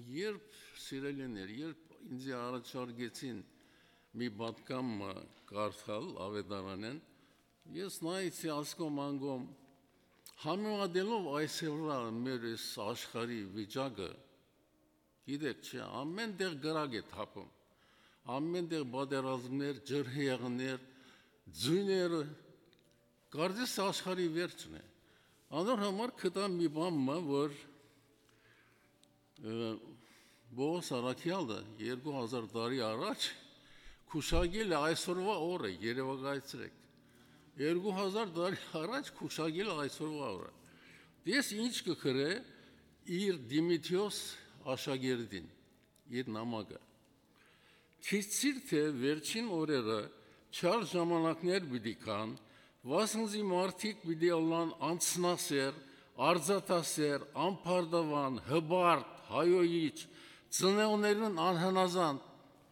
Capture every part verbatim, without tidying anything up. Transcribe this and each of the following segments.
Երբ, սիրելիներ, երբ ինձի առաջարկեցին մի պատգամ մը կարդալ Աւետարանէն, ես նայեցի ասկոմ անգոմ, համեմատելով այսօրվա մեր այս աշխարհի վիճակը, գիտեք չէ, ամեն տեղ կրակ է թափում, ամեն տեղ պատերազմներ, ջրհեղներ, ձոյները, կարծես աշխարհի վերջն է։ Անոր համար գտա մի բան մը, որ Պողոս Առաքեալը երկու հազար տարի առաջ քուշակել է այսօրվա օրը, երեւակայեցրեք։ Երկու հազար տարի առաջ քուշակել է այսօրվա օրը։ Ես ինչ կը գրէ իր Դիմիթրիոս աշակերտին, իր նամակը։ Գիտցիր թէ վերջին օրերը չար ժամանակներ պիտի գան, վասն զի մարդիկ պիտի ըլլան անձնասեր, արծաթասեր, անբարտաւան, հպարտ, հայոյիչ, ծնողներուն անհնազանդ։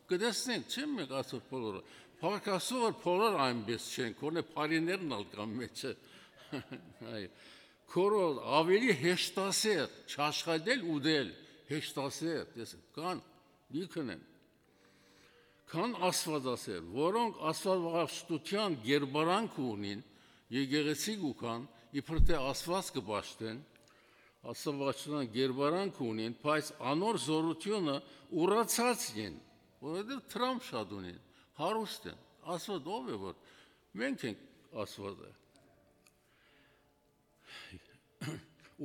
Կը տեսնենք, չէ՞, մենք այսօր բոլորը։ Փառք Աստուծոյ, որ բոլոր այնպես չեն, քոնէ բարիներն ալ կան մեջը։ Այո։ Քորոլ, ավելի հեշտասեր, չաշխատել, ուտել, հեշտասեր, տեսեք, կան, լիքն են։ Քան աստվածասեր, որոնք աստվածաշտութեան գերբարանքը ունին, եկեղեցի կու գան, իբր թէ Աստուած կը պաշտեն, աստվածաշտութեան գերբարանքը ունին, բայց անոր զօրութիւնը ուրացած են, որովհետեւ դրամ շատ ունին, հարուստ են։ Աստուած ո՞վ է, որ մենք ենք Աստուածը։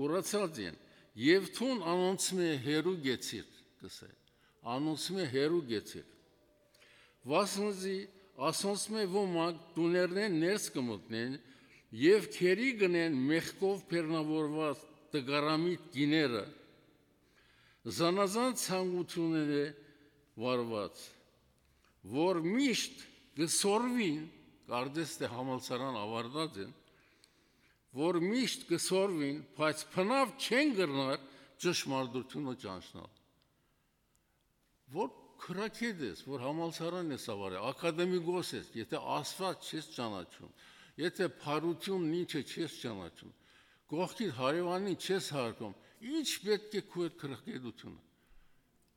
Ուրացած են, եւ դուն անոնցմէ հեռու գեցիր, կ'ըսէ, անոնցմէ հեռու գեցիր։ Վասն զի ասոնցմէ ոմանք տուներնէն ներս կը մտնեն եւ գերի կ'ընեն մեղքով բեռնաւորուած տկարամիտ կիները, զանազան ցանկութիւններէ վարուած, որ միշտ կը սորվին, կարծես թէ համալսարան աւարտած են, որ միշտ կը սորվին, բայց բնաւ չեն կրնար ճշմարտութիւնը ճանչնալ։ Որ քրագետ ես, որ համալսարան ես աւարել, ակադեմիկոս ես, եթե Աստուած չես ճանաչում, եթե բարութիւնն ինչ է չես ճանաչում, կողքիդ հարեւանին չես հարգում, ի՞նչ պէտք է քու այդ քրագետութիւնը։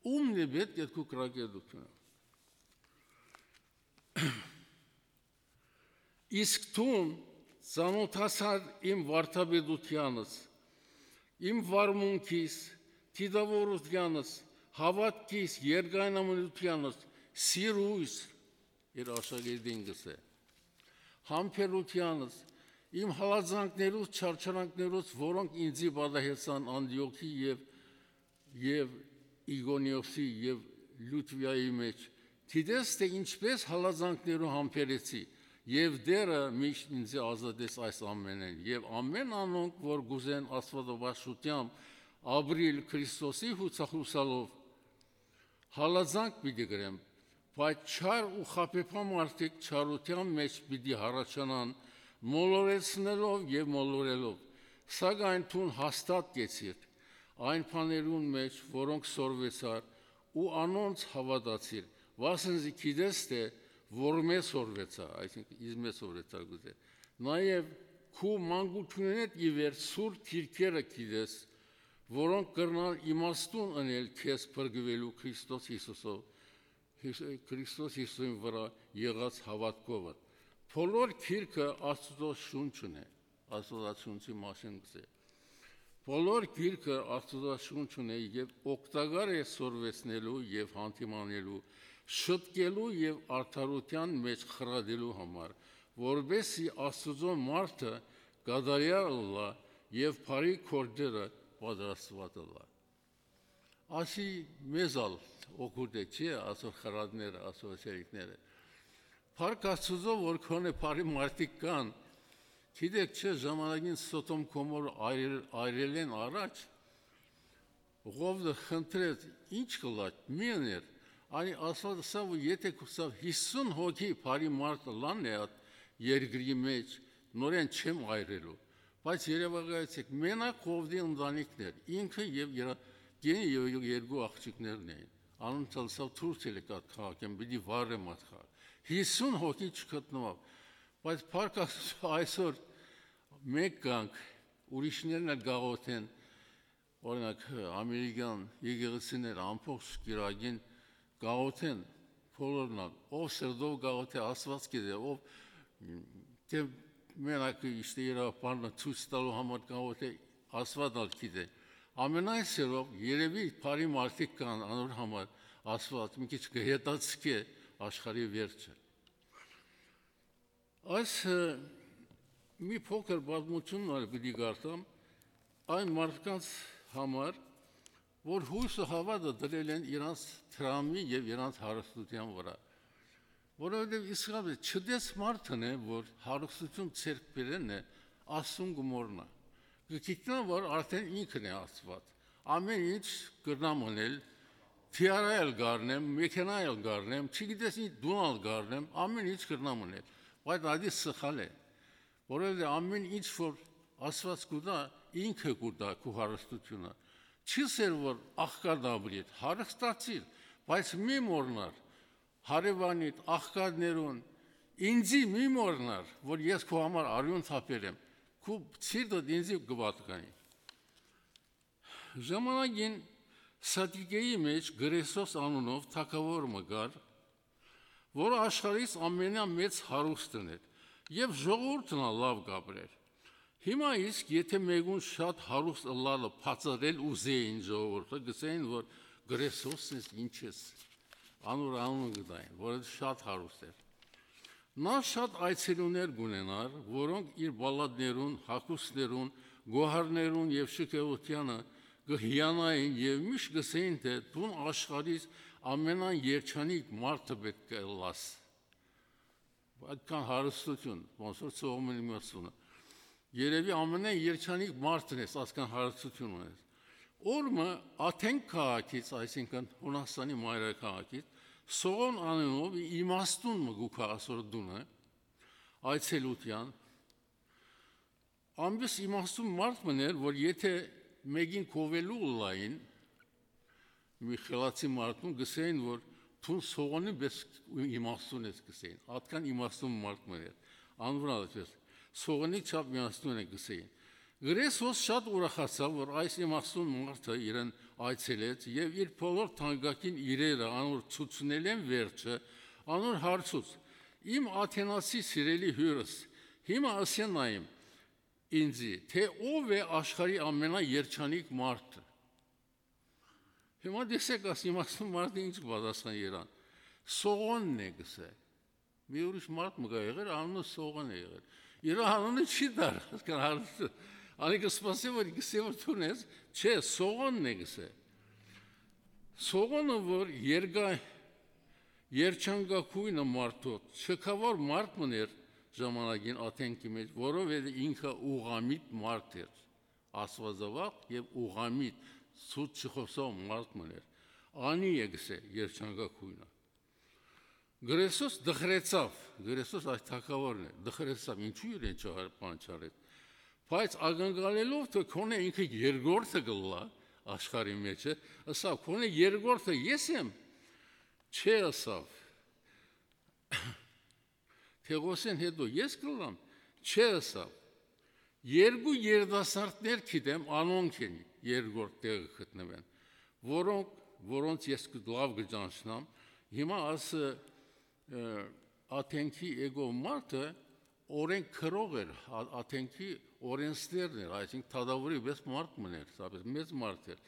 Ո՞ւմն է պէտք է քու քրագետութիւնը։ Իսկ դուն ծանօթացար իմ վարդապետութեանս, իմ վարմունքիս, դիտաւորութեանս, հաւատքիս, երկայնամտութեանս, սիրոյս, իր աշակերտին կ'ըսէ, համբերութեանս, իմ հալածանքներուս, չարչարանքներուս, որոնք ինծի պատահեցան Անտիոքի եւ, եւ Իգոնիոսի եւ Լուտվիայի մեջ, դիտես թէ ինչպէս հալածանքներու համբերեցի, եւ Տէրը միշտ ինծի ազատեց այս ամենէն, եւ ամեն անոնք, որ կ'ուզեն աստուածավարժութեամբ ապրիլ Քրիստոսի յուսախուսալով, հալածանք պիտի կրեմ, բայց չար ու խաբեբայ մարդիկ չարութեան մեջ պիտի յառաջանան, մոլորեցնելով եւ մոլորելով, սակայն դուն հաստատ կեցիր այն բաներուն մեջ, որոնք սորվեցար, ու անոնց հաւատացիր, վասն զի գիտես թէ որմէ սորվեցայ, այսինքն՝ իզմէ սորվեցայ կ'ուզէ, նաեւ քու մանկութիւնէդ ի վեր սուրբ գիրքերը գիտես, որոնք կրնան իմաստուն ընել քեզ փրկուելու Քրիստոս Յիսուսով, Հիս-, Քրիստոս Յիսուսին վրայ եղած հաւատքովդ։ Բոլոր գիրքը Աստուծոյ շունչն է, Աստուծոյ շունչի մասին կ'ըսէ։ Բոլոր գիրքը Աստուծոյ շունչն է եւ օգտակար է սորվեցնելու եւ յանդիմանելու, շտկելու եւ արդարութեան մեջ խրատելու համար, որպեսզի Աստուծոյ մարդը կատարեալ ըլլայ եւ բարի գործերը պատրաստուած ըլլայ։ Ասի մեզ ալ օգուտ է, չէ՞, այսօր խրատները, այսօր սերիկները։ Փառք Աստուծոյ, որ քոնէ բարի մարդիկ կան, գիտեք, չէ՞, ժամանակին Սոդոմ Գոմոր այրել, այրելէն առաջ, Ղովտը խնդրեց, ինչ կ'ըլլայ, մի ըներ, անի Աստուած ըսաւ, որ եթե կ'ուզաւ յիսուն հոգի բարի մարդ ըլլան է այդ երկրի մեջ, նորէն չեմ այրելու։ Բայց երեւակայեցեք, մենակ Ղովտի ընտանիքն էր, ինքը եւ իր կինը եւ երկու աղջիկներն էին։ Անոնց ալ սա թուրք ելեք այդ քաղաքէն, պիտի վառեմ այդ քաղաք։ Յիսուն հոգի չգտնուավ, բայց փառք Աստուծոյ, այսօր մենք կանք, ուրիշներն ալ գաղութեն, օրինակ, ամերիկյան եկեղեցիները ամբողջ կիրակին կաղոթեն, բոլորն ալ, ով սրտով կաղոթէ, Աստուած գիտէ, ով, թէ մենակ իշտե իր բանը ցոյց տալու համար կաղոթէ, Աստուած ալ գիտէ։ Ամենայն սերով երևի բարի մարդիկ կան անոր համար, Աստուած մի քիչ կհետաձգէ աշխարհի վերջը։ Այս, ը, մի փոքր պատմությունն ալ պիտի կարդամ այն մարդկանց համար, որ յոյսը, հաւատը դրել են իրանց դրամի եւ իրանց հարստութեան վրա, որովհետեւ իսկապես չտես մարդն է, որ հարստություն ձեռք բերեն է, Աստուն կը մոռնայ։ Կը գիտնայ, որ արդէն ինքն է Աստուած։ Ամէն ինչ կրնամ ընել, թիարա ալ կ'առնեմ, մեքենա ալ կ'առնեմ, չգիտես ինչ, տուն ալ կ'առնեմ, ամէն ինչ կրնամ ընել, բայց ատի սխալ է, որովհետեւ ամէն ինչ որ Աստուած կու տայ, ինքը կու տայ քու հարստությունը։ Չի սեր որ աղքատ ապրիր, հարստացիր, բայց մի մոռնար հարեւանիդ, աղքատներուն, ինծի մի մոռնար, որ ես քու համար արիւն թափեր եմ, քու սիրտդ ինծի կը պատկանի։ Ժամանակին Սատիկեի մէջ Կրեսոս անունով թագաւոր մը կար, որը աշխարհից ամենամեծ հարուստն էր եւ ժողովուրդն ալ լաւ կ'ապրեր։ Հիմա իսկ, եթէ մէկուն շատ հարուստ ըլլալը բացատրել ուզէին ժողովուրդը, կ'ըսէին, որ Կրեսոսն ես, ինչ ես, անոր անունը կը տային, որ շատ հարուստ էր։ Նա շատ այցելուներ կ'ունենար, որոնք իր պալատներուն, հագուստներուն, գոհարներուն եւ շքեղութեանը կը հիանային եւ միշտ կ'ըսէին, թէ «Դուն աշխարհիս ամենան երջանիկ մարդը պէտք է ըլլաս»։ Այդքան հարստություն, ոնց որ Սողոմոնի մրցունը։ Երևի ամենան երջանիկ մարդն ես, այսքան հարստություն ունես։ Օր մը Աթենք քաղաքից, այսինքն Յունաստանի մայրաքաղաքից, Սողոն անունով իմաստուն մը կու գայ ասոր տունը, այցելութեան։ Ամբես իմաստուն մարդ մըն էր, որ եթէ մէկին կովելու ըլլային, մի խելացի մարդուն, կ'ըսէին, որ «Դուն Սողոնի պէս իմաստուն ես», կ'ըսէին։ Ատկան իմաստուն մարդ մըն էր, անոր ալ այսպես, Սողոնի չափ իմաստուն է, կ'ըսէին։ Կրեսոս շատ ուրախացաւ, որ այս իմաստուն մարդը իրեն այցելեց եւ իր բոլոր թանկագին իրերը անոր ցուցնելէն վերջը անոր հարցուց. «Իմ Աթենացի սիրելի հիւրս, հիմա ըսէ նայեմ ինծի, թէ ով է աշխարհի ամենաերջանիկ մարդը»։ Հիմա տեսեք, այս իմաստուն մարդը ինչ կը պատասխանի իրան. «Սողոնն է», կ'ըսէ։ Մի ուրիշ մարդ մը կա եղեր, անունը Սողոն է եղեր։ Իր անունը չի տար, հասկան հարցը։ Անի կը սպասէ, որ կ'ըսէ, որ դուն ես, չէ, Սողոնն է, կ'ըսէ։ Սողոնը, որ երկա-, երջանկագոյնը մարդոց, շքաւոր մարդ մըն էր ժամանակին Աթենքի մէջ, որովհետեւ ինքը ուղղամիտ մարդ էր, աստուածավախ եւ ուղղամիտ, սուտ չխօսող մարդ մըն էր։ Անի է, կ'ըսէ, երջանկագոյնը։ Կրեսոս դխրեցաւ, Կրեսոս այս թագաւորն է, դխրեցաւ, ինչու իրեն չհար-, բան չարեց, բայց ակնկալելով, թէ քոնէ ինքը երկրորդը կ'ըլլայ աշխարհի մէջը, ըսաւ. «Քոնէ երկրորդը ես եմ»։ Չէ, ըսաւ, թէ ղոսեն հետո ես կ'ըլլամ, չէ, ըսաւ, երկու երիտասարդներ գիտեմ, անոնք են երկրորդ տեղը գտնուեն, որոնք, որոնց ես կը-, լաւ կը ճանչնամ, հիմա ասը, ը, Աթենքի եկող մարդը օրենք գրող էր, Ա-, Աթենքի օրենսներն էր, այսինքն թագաւորի պես մարդ մըն էր, սա պես մեծ մարդ էր։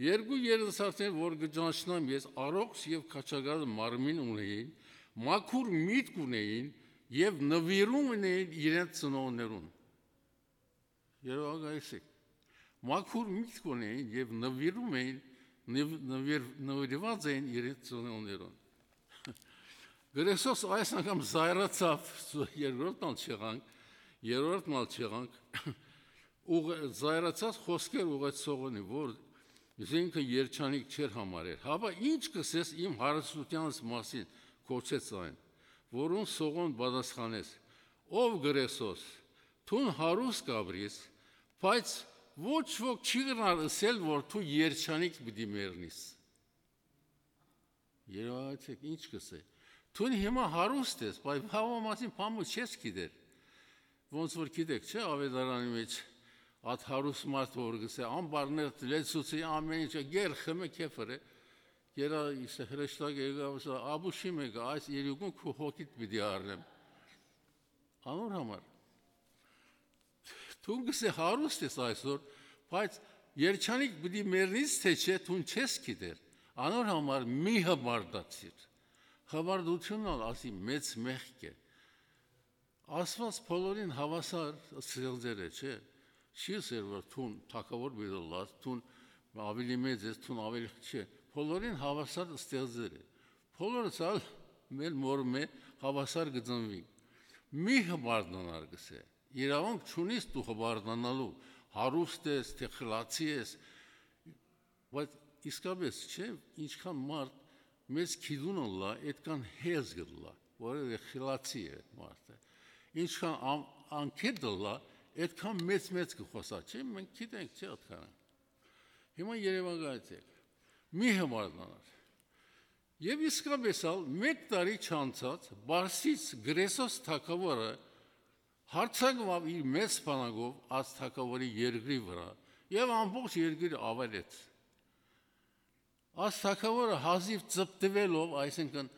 Երկու երիտասարդներ, որ կը ճանչնամ ես, առողջ եւ քաջագազ մարմին ունեին, մաքուր միտք ունեին եւ նուիրում ունեին իրենց ծնողներուն։ Երևակայեցեք, մաքուր միտք ունեին եւ նվիրում էին, նվ-, նվիր-, նվիրված էին իրենց ծնողներուն։ Կրեսոս այս անգամ զայրացաւ, երկրորդն ալ չեղանք, երրորդն ալ չեղանք, ուղ-, զայրացած խոսքեր ուղղեց Սողոնի, որ զինքը երջանիկ չէր համարեր։ «Հապա ի՞նչ կ'ըսես իմ հարստութեանս մասին», կոչեց այն, որուն Սողոն պատասխանեց. «Ով Կրեսոս, դուն հարուստ կ'ապրիս, բայց ոչ ոք չի կրնար ըսել, որ դու երջանիկ պիտի մեռնիս»։ Երևակայեցեք, ինչ կ'ըսէ. «Դուն հիմա հարուստ ես, բայց վաղվա մասին բան մը չես գիտեր»։ Ոնց որ գիտեք, չէ՞, Ավետարանի մեջ Ատ հարուստ մարդ որ գսէ, ամբարներ լեցուցի, ամեն ինչը գեր խմէ քեֆըր է, գերա իսկ հրեշտակ եկաւ, ասա, «Աբուշի մեկը, այս երկուն քու հոգիդ պիտի առնեմ»։ Անոր համար, դուն գսէ հարուստ ես այսօր, բայց երջանիկ պիտի մեռնից թե չէ, դուն չես գիտեր։ Անոր համար մի հպարտացիր։ Հպարտությունն ալ ասի մեծ մեղք է։ Աստված բոլորին հաւասար ստեղծեր է, չէ՞։ Չի ըսեր որ դուն թագաւոր պիտի ըլլաս, դուն ավելի մեծ ես, դուն ավելի, չէ։ Բոլորին հաւասար ստեղծեր է։ Բոլորս ալ մեր մոր մէ հաւասար կը ծնուինք։ Մի հպարտանար գսէ։ Իրաւունք չունիս դու հպարտանալու, հարուստ ես, թե խլացի ես, բայց իսկապես չէ, ինչքան մարդ մեծ գիտուն ըլլայ, այդքան հեզ կ'ըլլայ, որովհետեւ խլացի է այդ մարդը։ Ինչքան ան-, անկետ ըլլայ, այդքան մեծ-մեծ կը խօսայ, չէ՞, մենք գիտենք, չէ՞, այդքանը։ Հիմա երեւակայեցէք, մի հպարտանար։ Եւ իսկապես ալ մէկ տարի չանցած Պարսից Կրեսոս թագաւորը յարձակուաւ իր մեծ բանակով այս թագաւորի երկրի վրայ եւ ամբողջ երկիրը աւերեց։ Այս թագաւորը հազիւ ծպտուելով, այսինքն՝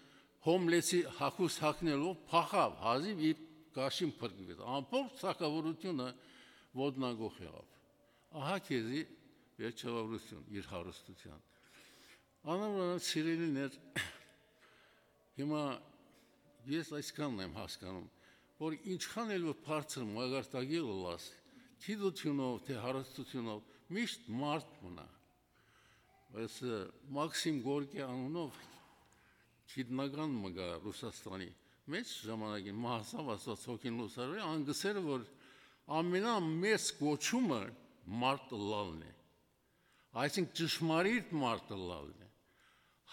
հոմլեսի հագուստ հագնելով, փախաւ, հազիվ իր կաշին փրկուեց։ Ամբողջ թագաւորությունը ոտնակոխ եղաւ։ Ահա քեզի վերջավորություն իր հարստութեան։ Անոր վրայ, սիրելիներ, հիմա ես այսքանն եմ հասկանում, որ ինչքան էլ որ բարձր մակարդակի ըլլաս, գիտութիւնով, թե հարստութիւնով, միշտ մարդ մնայ։ Այս, ը, Մաքսիմ Գորկի անունով գիտնական մը կայ Ռուսաստանի մէջ, ժամանակին մահացաւ Աստուած հոգին լուսարվի, ան կ'ըսէր որ ամենամեծ կոչումը մարդ ըլլալն է, այսինքն՝ ճշմարիտ մարդ ըլլալն է,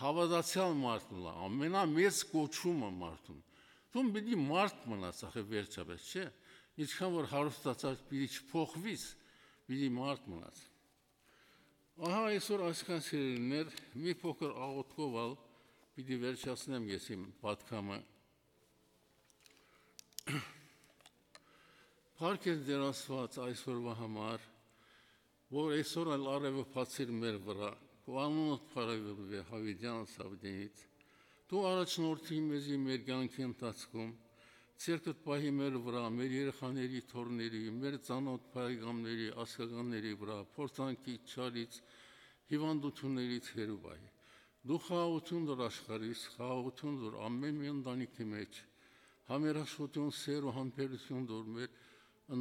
հաւատացեալ մարդ ըլլալ, ամենամեծ կոչումը մարդուն։ Դուն պիտի մարդ մնաս, ախր, վերջապէս, չէ՞։ Ինչքան որ հարստացած պիտի չփոխվիս, պիտի մարդ մնաս։ Ահա այսօր այսքան, սիրելիներ, մի փոքր աղօթքով ալ պիտի վերջացնեմ ես իմ պատգամը։ Փառք Տեր Աստուած այսօրվա համար, որ այսօր ալ արեւը բացիր մեր վրայ, քու անունդ փառաւորուի յաւիտեան Սաւդենից։ Դու առաջնորդիր մեզի մեր կյանքի ընթացքում, ձեռքդ պահի մեր վրայ, մեր երեխաների, թոռների, մեր ծանոթ բարեկամների, ազգականների վրայ, փորձանքից, չարից, հիվանդություններից հեռու պահի։ Դու խաղաղութիւն տուր աշխարհիս, խաղաղութիւն տուր ամէն մի ընտանիքի մէջ, համերաշխութիւն, սէր ու համբերութիւն տուր մեր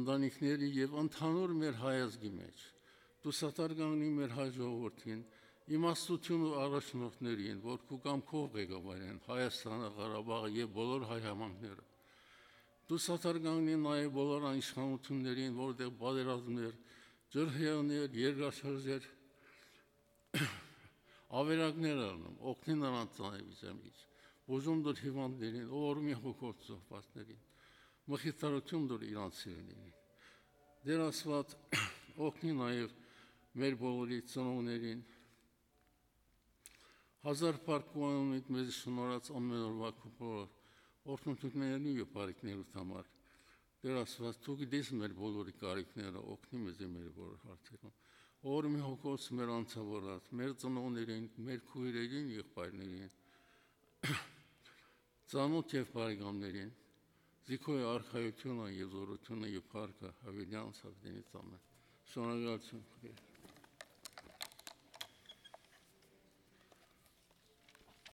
ընտանիքների եւ ընդհանուր մեր հայ ազգի մէջ։ Դու սատար կանգնի մեր հայ ժողովրդին, իմաստութիւն ու առաջնորդներին, որ քու կամքով ղեկավարեն Հայաստանը, Ղարաբաղը եւ բոլոր հայ համայնքները։ Դու սատար կանգնի նաեւ բոլոր այն իշխանություններին, որտեղ պատերազմներ, ջրհեղներ, երկրաշարժեր, ավերակներ առնեմ, օգնի նրանց ծանրի վիճակից, բուժում տուր հիվանդներին, օրհնի հոգով զոհվածներին, մխիթարութիւն տուր իրանց սիրելիներին։ Տեր Աստուած, օգնի նաեւ մեր բոլորի ծնողներին։ Հազար փառք ու անունիդ մեզ շնորհած ամեն օրվա քու փոքր օրհնություններու եւ բարիքներուդ համար։ Տեր Աստուած, դու գիտես մեր բոլորի կարիքները, օգնի մեզ մեր բոլոր հարցերուն։ Օրհնի հոգով մեր անցաւորած, մեր ծնողներին, մեր քույրերին, եղբայրներին, ծանոթ եւ բարեկամներին, զիքոյ արքայությունը եւ զորությունը եւ փառքը յաւիտեան Սաւդենից ամեն։ Շնորհակալություն։